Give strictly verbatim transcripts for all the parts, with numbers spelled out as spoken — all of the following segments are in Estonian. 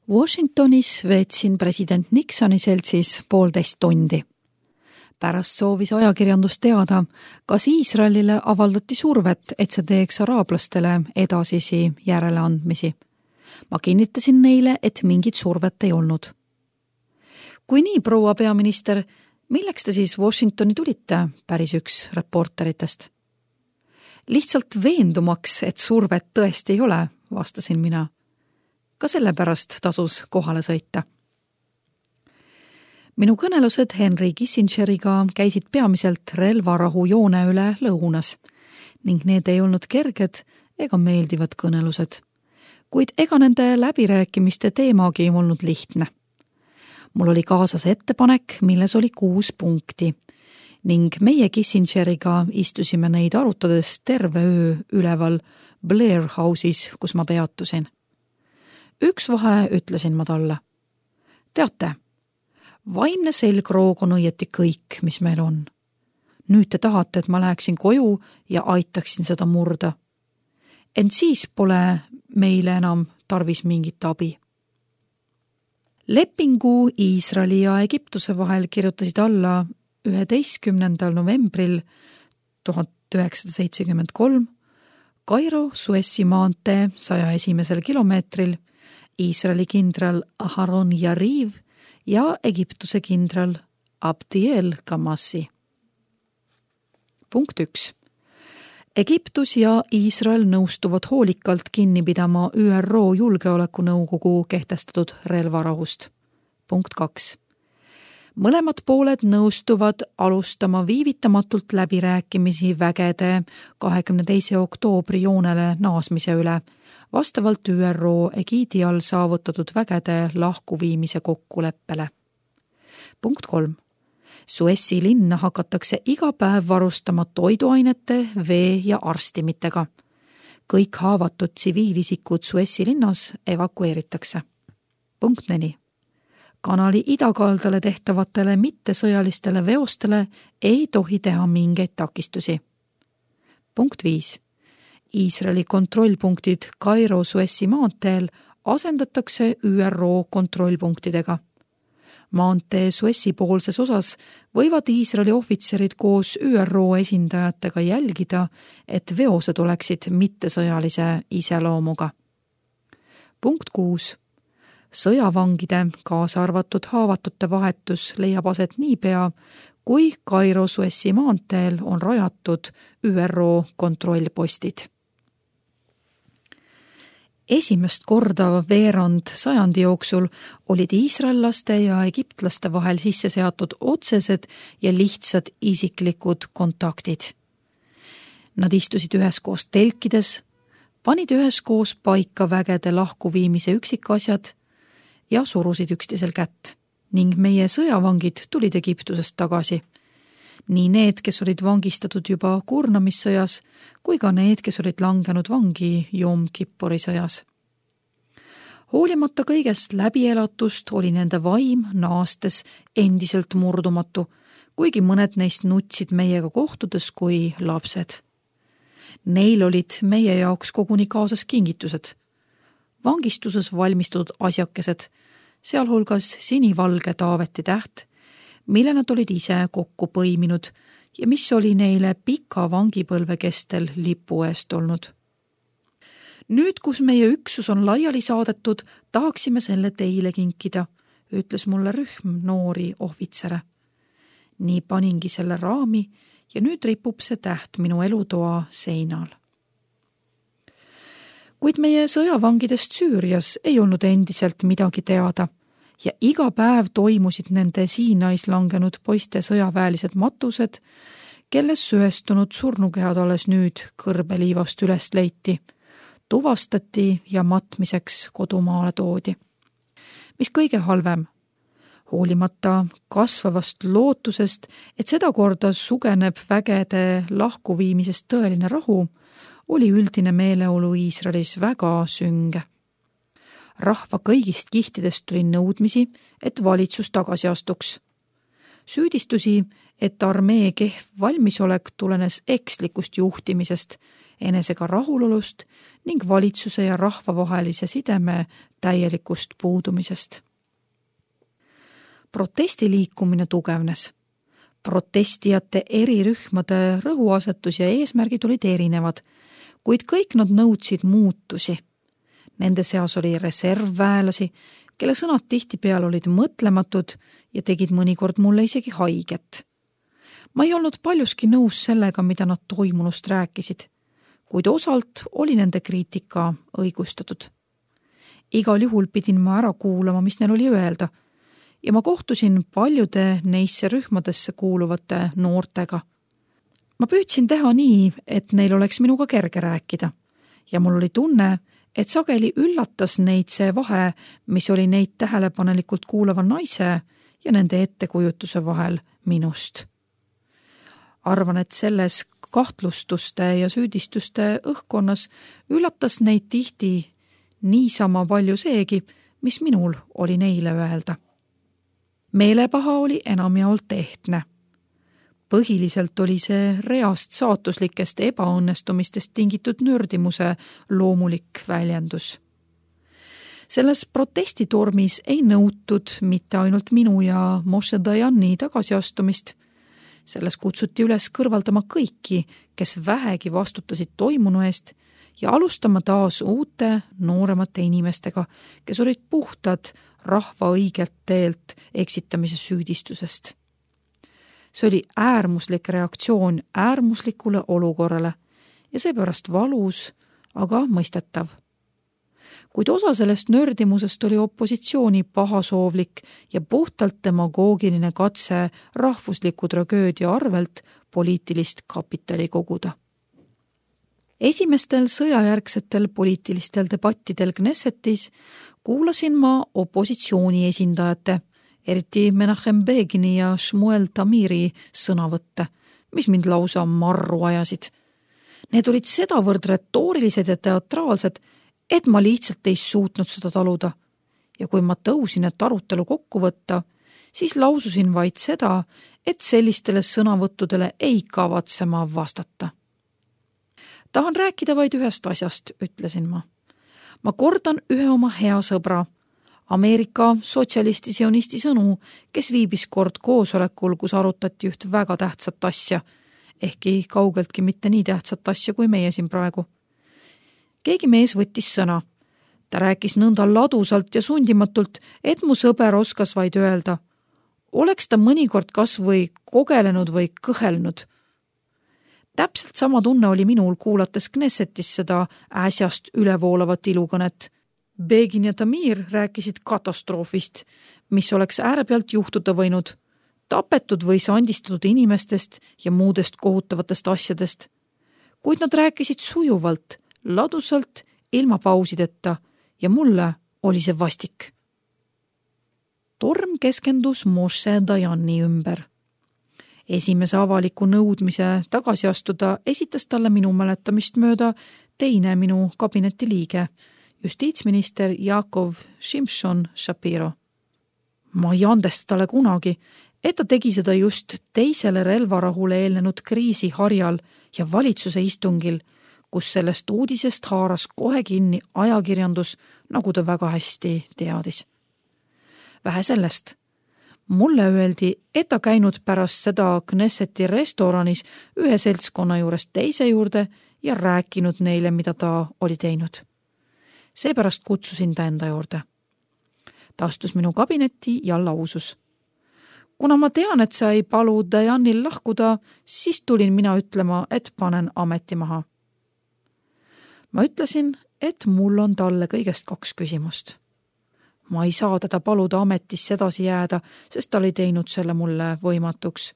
Washingtonis veetsin president Nixoni seltsis poolteist tundi. Pärast soovis ajakirjandus teada, kas Iisraelile avaldati survet, et see teeks araablastele edasisi järeleandmisi. Ma kinnitasin neile, et mingit survet ei olnud. Kui nii, proua peaminister, milleks te siis Washingtoni tulite, päris üks reporteritest? Lihtsalt veendumaks, et survet tõesti ei ole, vastasin mina. Ka sellepärast tasus kohale sõita. Minu kõnelused Henry Kissingeriga käisid peamiselt relvarahu joone üle lõunas ning need ei olnud kerged ega meeldivad kõnelused, kuid ega nende läbirääkimiste teemagi olnud lihtne. Mul oli kaasas ettepanek, milles oli kuus punkti ning meie Kissingeriga istusime neid arutades terve öö üleval Blair House'is, kus ma peatusin. Üks vahe ütlesin ma talle. Teate, vaimne selgroog on õieti kõik, mis meil on. Nüüd te tahate, et ma läheksin koju ja aitaksin seda murda. Ent siis pole meile enam tarvis mingit abi. Lepingu Iisraeli ja Egiptuse vahel kirjutasid alla üheteistkümnendal novembril tuhat üheksasada seitsekümmend kolm Kairo Suessi maantee saja esimesel kilomeetril Iisraeli kindral Aharon Yariv ja Egiptuse kindral Abdiel Kamassi. Punkt üks. Egiptus ja Iisrael nõustuvad hoolikalt kinni pidama Ü R O Julgeolekunõukogu kehtestatud relvarahust. Punkt kaks. Mõlemad pooled nõustuvad alustama viivitamatult läbirääkimisi vägede kahekümne teise oktoobri joonele naasmise üle, vastavalt Ü R O egiidi all saavutatud vägede lahkuviimise kokkuleppele. Punkt kolm. Suessi linna hakatakse iga päev varustama toiduainete, vee ja arstimitega. Kõik haavatud tsiviilisikud Suessi linnas evakueeritakse. Punkt neli. Kanali idakaldale tehtavatele mittesõjalistele veostele ei tohi teha mingeid takistusi. Punkt viis. Iisraeli kontrollpunktid Kairo Suessi maanteel asendatakse Ü R O kontrollpunktidega. Maantee Suessi poolses osas võivad Iisraeli ohvitserid koos Ü R O esindajatega jälgida, et veosed oleksid mittesõjalise iseloomuga. Punkt kuus. Sõjavangide, kaasa arvatud haavatute vahetus leiab aset niipea, kui Kairo Suessi maanteel on rajatud Ü R O kontrollpostid. Esimest korda veerand sajandi jooksul olid iisraellaste ja egiptlaste vahel sisse seatud otsesed ja lihtsad isiklikud kontaktid. Nad istusid üheskoos telkides, panid üheskoos paika vägede lahkuviimise üksikasjad ja surusid üksteisel kätt ning meie sõjavangid tulid Egiptusest tagasi. Nii need, kes olid vangistatud juba kurnamissõjas, kui ka need, kes olid langenud vangi Jom Kippuri sõjas. Hoolimata kõigest läbielatust oli nende vaim naastes endiselt murdumatu, kuigi mõned neist nutsid meiega kohtudes kui lapsed. Neil olid meie jaoks koguni kaasas kingitused. Vangistuses valmistatud asjakesed, sealhulgas sinivalge Taaveti täht, mille nad olid ise kokku põiminud ja mis oli neile pika vangipõlve kestel lipu eest olnud. Nüüd, kus meie üksus on laiali saadetud, tahaksime selle teile kinkida, ütles mulle rühm noori ohvitsere. Nii paningi selle raami ja nüüd ripub see täht minu elutoa seinal. Kuid meie sõjavangidest Süürias ei olnud endiselt midagi teada ja iga päev toimusid nende Siinais langenud poiste sõjaväelised matused, kelles söestunud surnukehad alles nüüd kõrbeliivast üles leiti, tuvastati ja matmiseks kodumaale toodi. Mis kõige halvem, hoolimata kasvavast lootusest, et seda korda sugeneb vägede lahkuviimisest tõeline rahu, oli üldine meeleolu Iisraelis väga sünge. Rahva kõigist kihtidest tuli nõudmisi, et valitsus tagasi astuks. Süüdistusi, et armee kehv valmisolek tulenes ekslikust juhtimisest, enesega rahulolust ning valitsuse ja rahva vahelise sideme täielikust puudumisest. Protestiliikumine tugevnes. Protestijate eri rühmade rõhuasetus ja eesmärgid olid erinevad, kuid kõik nad nõudsid muutusi. Nende seas oli reservväelasi, kelle sõnad tihtipeale olid mõtlematud ja tegid mõnikord mulle isegi haiget. Ma ei olnud paljuski nõus sellega, mida nad toimunust rääkisid, kuid osalt oli nende kriitika õigustatud. Igal juhul pidin ma ära kuulama, mis neil oli öelda, ja ma kohtusin paljude neisse rühmadesse kuuluvate noortega. Ma püüdsin teha nii, et neil oleks minuga kerge rääkida ja mul oli tunne, et sageli üllatas neid see vahe, mis oli neid tähelepanelikult kuulava naise ja nende ettekujutuse vahel minust. Arvan, et selles kahtlustuste ja süüdistuste õhkkonnas üllatas neid tihti niisama palju seegi, mis minul oli neile öelda. Meelepaha oli enamjaolt ehtne. Põhiliselt oli see reast saatuslikest ebaõnnestumistest tingitud nördimuse loomulik väljendus. Selles protestitormis ei nõutud mitte ainult minu ja Moshe Dayani tagasiastumist. Selles kutsuti üles kõrvaldama kõiki, kes vähegi vastutasid toimunu eest ja alustama taas uute nooremate inimestega, kes olid puhtad rahva õigelt teelt eksitamise süüdistusest. See oli äärmuslik reaktsioon äärmuslikule olukorrale ja seepärast valus, aga mõistetav. Kuid osa sellest nördimusest oli opositsiooni pahasoovlik ja puhtalt demagoogiline katse rahvusliku tragöödia arvelt poliitilist kapitali koguda. Esimestel sõjajärgsetel poliitilistel debattidel Knessetis kuulasin ma opositsiooni esindajate, eriti Menachem Begini ja Shmuel Tamiri sõnavõtte, mis mind lausa marru ajasid. Need olid sedavõrd retoorilised ja teatraalsed, et ma lihtsalt ei suutnud seda taluda. Ja kui ma tõusin, et arutelu kokku võtta, siis laususin vaid seda, et sellistele sõnavõttudele ei kavatse ma vastata. Tahan rääkida vaid ühest asjast, ütlesin ma. Ma kordan ühe oma hea sõbra, Ameerika sotsialisti-sionisti sõnu, kes viibis kord koosolekul, kus arutati üht väga tähtsat asja, ehkki kaugeltki mitte nii tähtsat asja kui meie siin praegu. Keegi mees võttis sõna. Ta rääkis nõnda ladusalt ja sundimatult, et mu sõber oskas vaid öelda. Oleks ta mõnikord kas või kogelenud või kõhelnud. Täpselt sama tunne oli minul kuulates Knessetis seda äsjast ülevoolavat ilukõnet. Begin ja Tamir rääkisid katastroofist, mis oleks äärepealt juhtuda võinud, tapetud või sandistatud inimestest ja muudest kohutavatest asjadest. Kuid nad rääkisid sujuvalt, ladusalt, ilma pausideta ja mulle oli see vastik. Torm keskendus Moshe Dayani ümber. Esimese avaliku nõudmise tagasi astuda esitas talle minu mäletamist mööda teine minu kabineti liige, justiitsminister Jaakov Šimšon Šapiro. Ma ei andesta talle kunagi, et ta tegi seda just teisele relvarahule eelnenud kriisi harjal ja valitsuse istungil, kus sellest uudisest haaras kohe kinni ajakirjandus, nagu ta väga hästi teadis. Vähe sellest. Mulle öeldi, et ta käinud pärast seda Knesseti restoranis ühe seltskonna juurest teise juurde ja rääkinud neile, mida ta oli teinud. Seepärast kutsusin ta enda juurde. Ta astus minu kabinetti ja lausus. Kuna ma tean, et sa ei palu Dayanil lahkuda, siis tulin mina ütlema, et panen ameti maha. Ma ütlesin, et mul on talle kõigest kaks küsimust. Ma ei saa teda paluda ametisse edasi jääda, sest ta oli teinud selle mulle võimatuks.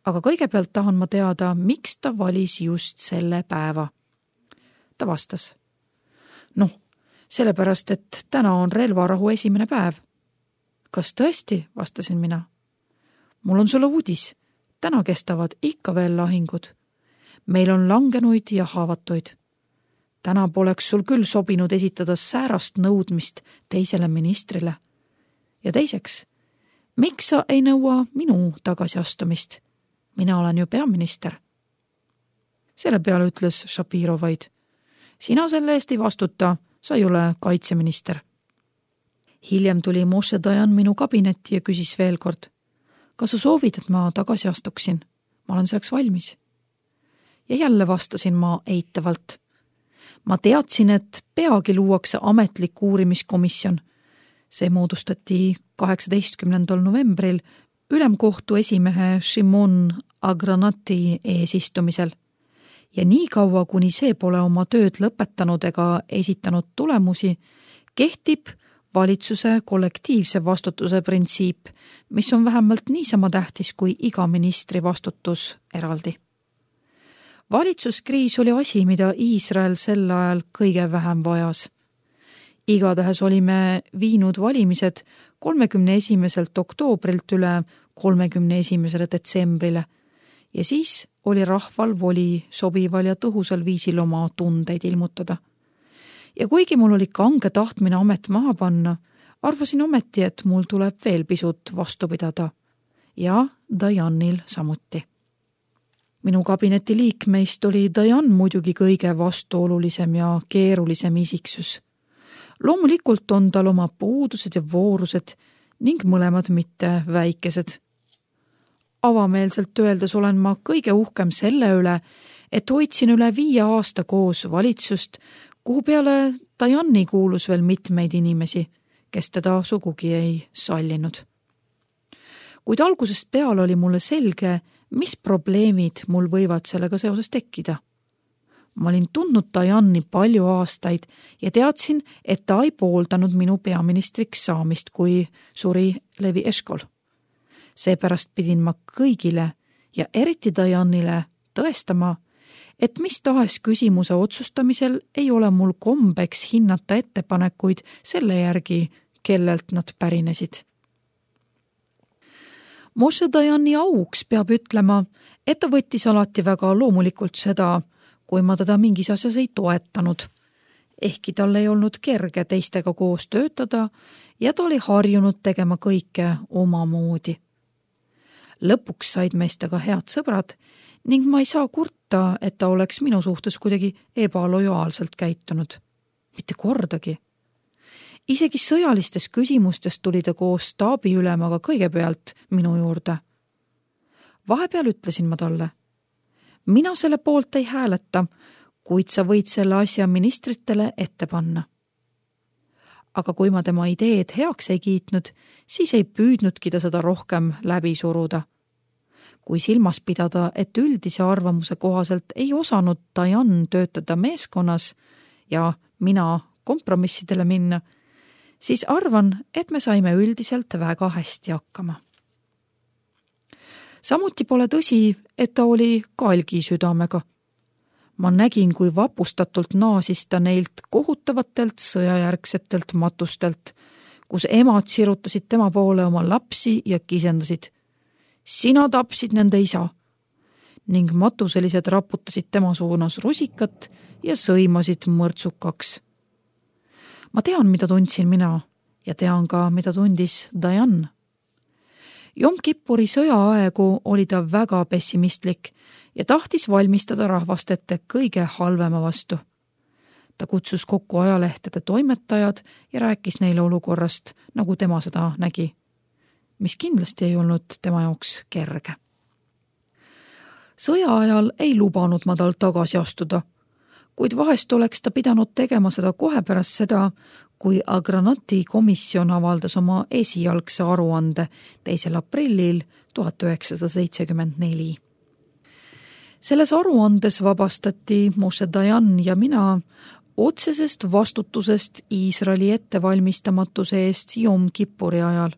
Aga kõigepealt tahan ma teada, miks ta valis just selle päeva. Ta vastas. Noh, sellepärast, et täna on relvarahu esimene päev. Kas tõesti, vastasin mina. Mul on sulle uudis. Täna kestavad ikka veel lahingud. Meil on langenuid ja haavatuid. Täna poleks sul küll sobinud esitada säärast nõudmist teisele ministrile. Ja teiseks, miks sa ei nõua minu tagasiastumist? Mina olen ju peaminister. Selle peale ütles Šapiro vaid. Sina selle eest ei vastuta, sa ei ole kaitseminister. hiljem tuli Moshe Dayan minu kabinetti ja küsis veel kord: kas sa soovid, et ma tagasi astuksin? Ma olen selleks valmis. Ja jälle vastasin ma eitavalt. Ma teadsin, et peagi luuakse ametlik uurimiskomisjon. See moodustati kaheksateistkümnendal novembril ülemkohtu esimehe Shimon Agranati eesistumisel. Ja nii kaua, kuni see pole oma tööd lõpetanud ega esitanud tulemusi, kehtib valitsuse kollektiivse vastutuse printsiip, mis on vähemalt niisama tähtis kui iga ministri vastutus eraldi. Valitsuskriis oli asi, mida Iisrael sel ajal kõige vähem vajas. Igatahes olime viinud valimised kolmekümne esimeselt oktoobrilt üle kolmekümne esimesele detsembrile ja siis oli rahval voli sobival ja tõhusal viisil oma tundeid ilmutada. Ja kuigi mul oli kange tahtmine amet maha panna, arvasin ometi, et mul tuleb veel pisut vastu pidada. Ja Dayanil samuti. Minu kabineti liikmeist oli Dayan muidugi kõige vastuolulisem ja keerulisem isiksus. Loomulikult on tal oma puudused ja voorused ning mõlemad mitte väikesed. Avameelselt öeldes olen ma kõige uhkem selle üle, et hoidsin üle viie aasta koos valitsust, kuhu peale Dayani kuulus veel mitmeid inimesi, kes teda sugugi ei sallinud. Kuid algusest peale oli mulle selge, mis probleemid mul võivad sellega seoses tekkida. Ma olin tundnud Dayani palju aastaid ja teadsin, et ta ei pooldanud minu peaministriks saamist, kui suri Levi Eshkol. Seepärast pidin ma kõigile ja eriti Dayanile tõestama, et mis tahes küsimuse otsustamisel ei ole mul kombeks hinnata ettepanekuid selle järgi, kellelt nad pärinesid. Moshe Dayani auks peab ütlema, et ta võttis alati väga loomulikult seda, kui ma teda mingis asjas ei toetanud. Ehkki tal ei olnud kerge teistega koos töötada ja ta oli harjunud tegema kõike omamoodi. Lõpuks said meist aga head sõbrad ning ma ei saa kurta, et ta oleks minu suhtes kuidagi ebalojaalselt käitunud. Mitte kordagi. Isegi sõjalistes küsimustes tuli ta koos staabiülemaga kõigepealt minu juurde. Vahepeal ütlesin ma talle: mina selle poolt ei hääleta, kuid sa võid selle asja ministritele ette panna. Aga kui ma tema ideed heaks ei kiitnud, siis ei püüdnudki ta seda rohkem läbi suruda. Kui silmas pidada, et üldise arvamuse kohaselt ei osanud Dayan töötada meeskonnas ja mina kompromissidele minna, siis arvan, et me saime üldiselt väga hästi hakkama. Samuti pole tõsi, et ta oli kalgi südamega. Ma nägin, kui vapustatult naasis ta neilt kohutavatelt sõjajärgsetelt matustelt, kus emad sirutasid tema poole oma lapsi ja kisendasid: sina tapsid nende isa. Ning matuselised raputasid tema suunas rusikat ja sõimasid mõrtsukaks. Ma tean, mida tundsin mina ja tean ka, mida tundis Dayan. Jom Kippuri sõjaaegu oli ta väga pessimistlik ja tahtis valmistada rahvast ette kõige halvema vastu. Ta kutsus kokku ajalehtede toimetajad ja rääkis neile olukorrast, nagu tema seda nägi, mis kindlasti ei olnud tema jaoks kerge. Sõja ajal ei lubanud ma tal tagasi astuda, kuid vahest oleks ta pidanud tegema seda kohe pärast seda, kui Agranati komisjon avaldas oma esialgse aruande teisel aprillil tuhat üheksasada seitsekümmend neli. Selles aruandes vabastati Moshe Dayan ja mina otsesest vastutusest Iisraeli ettevalmistamatuse eest Jom Kippuri ajal,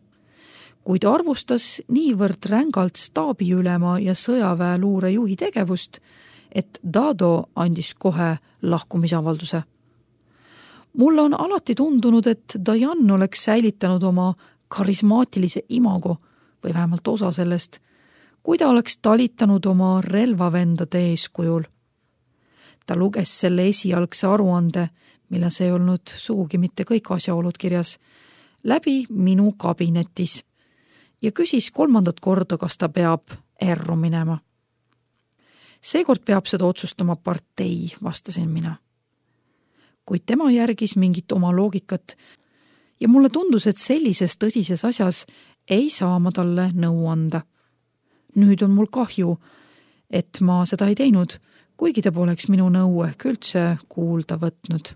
kuid arvustas niivõrd rängalt staabiülema ja sõjaväe luurejuhi tegevust, et Dado andis kohe lahkumisavalduse. Mulle on alati tundunud, et Dayan oleks säilitanud oma karismaatilise imago või vähemalt osa sellest, kui ta oleks talitanud oma relvavendade eeskujul. Ta luges selle esialgse aruande, milles ei olnud sugugi mitte kõik asjaolud kirjas, läbi minu kabinetis ja küsis kolmandat korda, kas ta peab erru minema. Seekord peab seda otsustama partei, vastasin mina. Kuid tema järgis mingit oma loogikat ja mulle tundus, et sellises tõsises asjas ei saa ma talle nõu anda. Nüüd on mul kahju, et ma seda ei teinud, kuigi ta poleks minu nõu ehk üldse kuulda võtnud.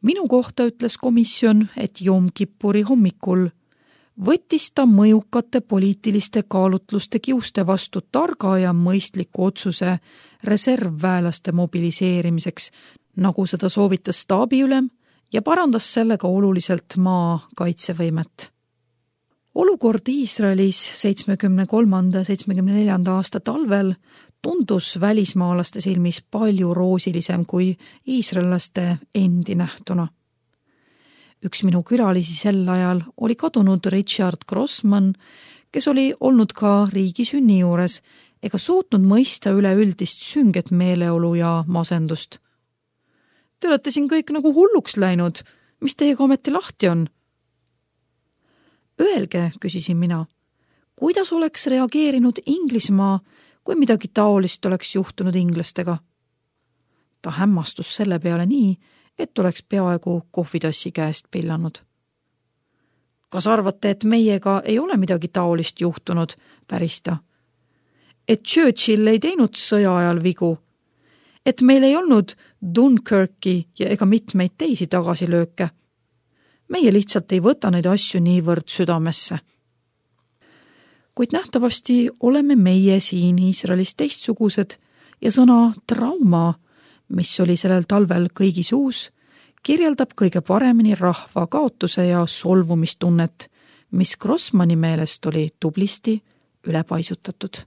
Minu kohta ütles komisjon, et Jom Kippuri hommikul võttis ta mõjukate poliitiliste kaalutluste kiuste vastu targa ja mõistliku otsuse reservväelaste mobiliseerimiseks, nagu seda soovitas staabiülem ja parandas sellega oluliselt maa kaitsevõimet. Olukord Iisraelis seitsmekümne kolmanda seitsmekümne neljanda aasta talvel tundus välismaalaste silmis palju roosilisem kui iisraellaste endi nähtuna. Üks minu külalisi sel ajal oli kadunud Richard Grossman, kes oli olnud ka riigi sünni juures ega suutnud mõista üleüldist sünget meeleolu ja masendust. Te olete siin kõik nagu hulluks läinud, mis teiega ometi lahti on? Öelge, küsisin mina, kuidas oleks reageerinud Inglismaa, kui midagi taolist oleks juhtunud inglastega? Ta hämmastus selle peale nii, et oleks peaaegu kohvitassi käest pillanud. Kas arvate, et meiega ei ole midagi taolist juhtunud, päris ta? Et Churchill ei teinud sõja ajal vigu? Et meil ei olnud Dunkirki ja ega mitmeid teisi tagasilööke? Meie lihtsalt ei võta neid asju niivõrd südamesse. Kuid nähtavasti oleme meie siin Iisraelis teistsugused ja sõna trauma, mis oli sellel talvel kõigi suus, kirjeldab kõige paremini rahva kaotuse ja solvumistunnet, mis Grossmani meelest oli tublisti ülepaisutatud.